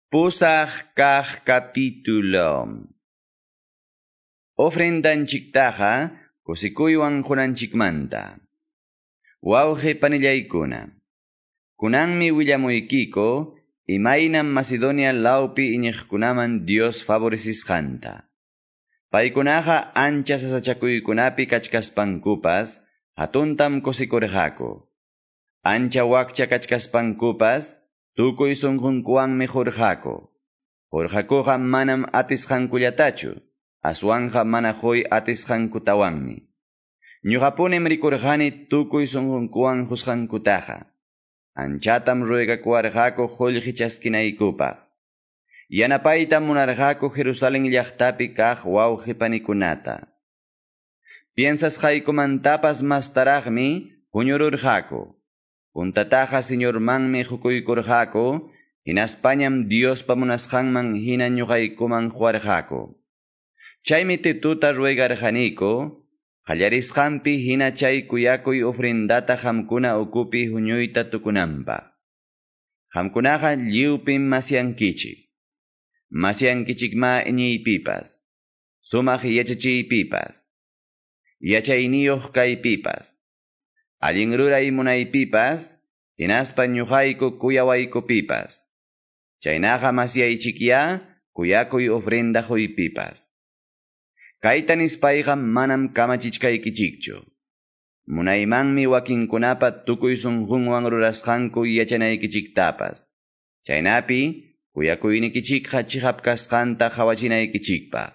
Pusaq kaq capítulo. Ofrendanchiktaqa kusikuywan qunanchikmanta. Wawqi panillaykuna. Kunanmi willamuykiko imaynam Macedonia lawpi iñiqkunaman Dios favorecisqanta. Paykunaqa ancha sasachakuykunapi kachkaspankupas hatuntam kusikurqaku. Ancha wakcha kachkaspankupas tukuy sunqunkuwanmi qurqaku. Qurqakuqa manam atisqankullatachu, aswanqa mana huy atisqankutawanmi. Ñuqapunim rikurqani tukuy sunqunkuwan qusqankutaqa. Anchatam ruegakuwarqaku qullqi chaskinaykupaq. Yanapaytam munarqaku Jerusalén llaqtapi kaq wawqi panikunata. Piensasqaykumantapas mastaraqmi huñururqaku. Puntataqa Señormanmi qukuykurqaku, hinaspañam Diospa munasqanman hina ñuqaykuman quwarqaku. Chaymi Tituta ruegarqaniku, qallarisqanpi hina chay kuyakuy ofrendata qamkuna ukupi huñuyta tukunanpaq. Qamkunaqa lliwpim masyankichik. Masyankichikma iñiypipas, sumaq yachachiypipas, yachayniyuq kaypipas, allin ruray munaypipas, hinaspa ñuqayku kuyawaykupipas. Chaynaqa masyaychikya kuyakuy ofrenda huypipas. Kayta nispayqa manam kamachichkaykichikchu. Munaymanmi wakinkunapa tukuy sunqunwan rurasqanku yachanaykichiktapas. Chaynapi kuyakuynikichikqa chiqap kasqanta qhawachinaykichikpaq.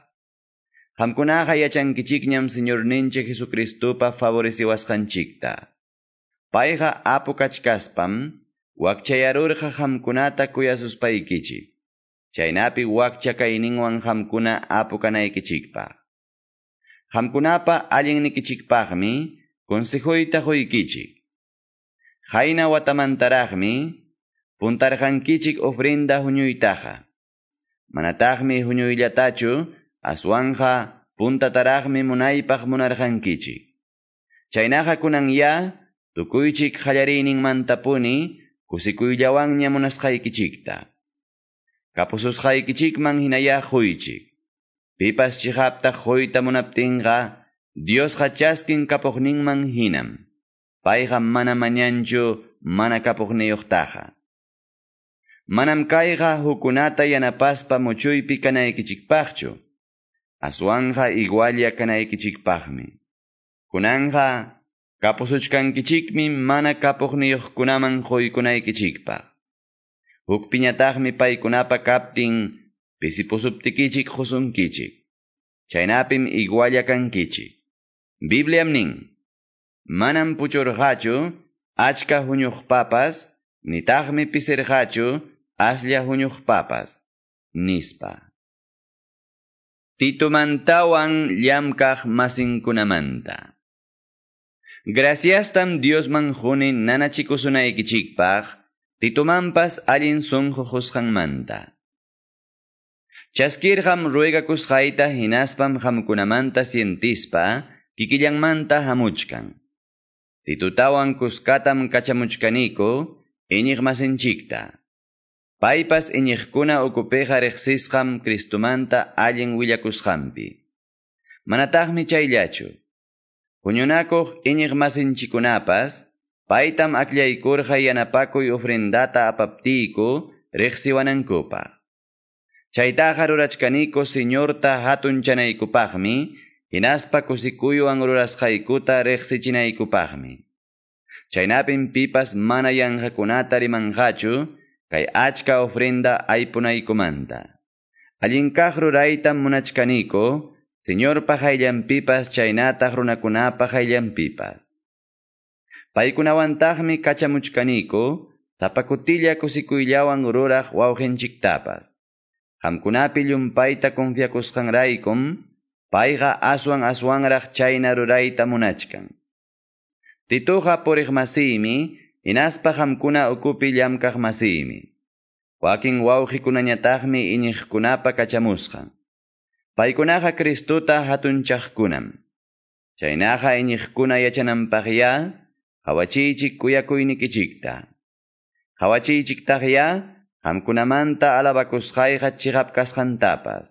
Qamkunaqa yachankichikñam Señorninchik Jesucristupa favoreciwasqanchikta. Payqa apu kachkaspam wakchayarurqa qamkunata kuyasuspaykichik. Chaynapi wakcha kayninwan qamkuna apu kanaykichikpaq. Qamkunapa allinnikichikpaqmi consejuyta quykichik. Qayna watamantaraqmi puntarqankichik ofrenda huñuytaqa. Manataqmi huñuyllatachu aswanja puntataraqmi munaypaq munarqankichik. Chaynaqa kunan ya tukuychik qallariyninmantapuni kusikuyllawanña munasqaykichikta. Kapususqaykichikman hinaya quychik. Pipas chiqapta quyta munaptinqa Diosqa chaskin kapuqninman hinam. Payqa mana mañanchu mana kapuqniyuqtaqa. Manam kayqa hukunata yanapaspa muchuypi kanaykichikpaqchu. Aswanja igualla kanaykichikpaqmi. Kunanja kapusuchkankichikmi mana kapuqniyuqkunaman quykunaykichikpaq. Hukpiñataqmi paykunapa kaptin pisipusuptikichik qusunkichik. Chaynapim igualla kankichik. Bibliam nin, manam puchurqachu achka huñuqpapas, nitaqmi pisirqachu aslla huñuqpapas, nispa. Titumantawan llamkaq masinkunamanta. Graciastam Diosman quni nanachikusunaykichikpaq, Titumanpas allin sunqu qusqanmanta. Chaskirqam ruegakusqayta hinaspam qamkunamanta sientispa kikillanmanta hamuchkan. Titutawan kuskatam kachamuchkaniku iñiqmasinchikta. Paypas iñiqkuna ukupiqa riqsisqam Cristumanta allin willakusqanpi. Manataqmi chayllachu. Huñunakuq iñiqmasinchikunapas paytam akllaykurqa yanapakuy ofrendata apaptiyku riqsiwanankupaq. Chaytaqa rurachkaniku Señorta hatunchanaykupaqmi, hinaspa kusikuywan rurasqaykuta riqsichinaykupaqmi. Chaynapim pipas mana yanqakunata rimanqachu kay achka ofrenda aypunaykumanta. Allin kaq ruraytam munachkaniku, Señorpa hayllanpipas chaynataq runakunapa hayllanpipas. Paykunawantaqmi kachamuchkaniku, sapa kutilla kusikuyllawan ruraq wawqinchiktapas. Qamkunapi llumpayta confiakusqanraykum, payqa aswan aswanraq chayna rurayta munachkan. Tituqa puriqmasiymi, hinaspa qamkuna ukupi llamkaqmasiymi. Wakin wawqikunañataqmi iñiqkunapa kachamusqan. Paykunaqa Cristuta hatunchaqkunam. Chaynaqa iñiqkuna yachananpaqya, qhawachiychik kuyakuynikichikta. Qhawachiychiktaqya Qamkunamanta alabakusqayqa chiqap kasqantapas.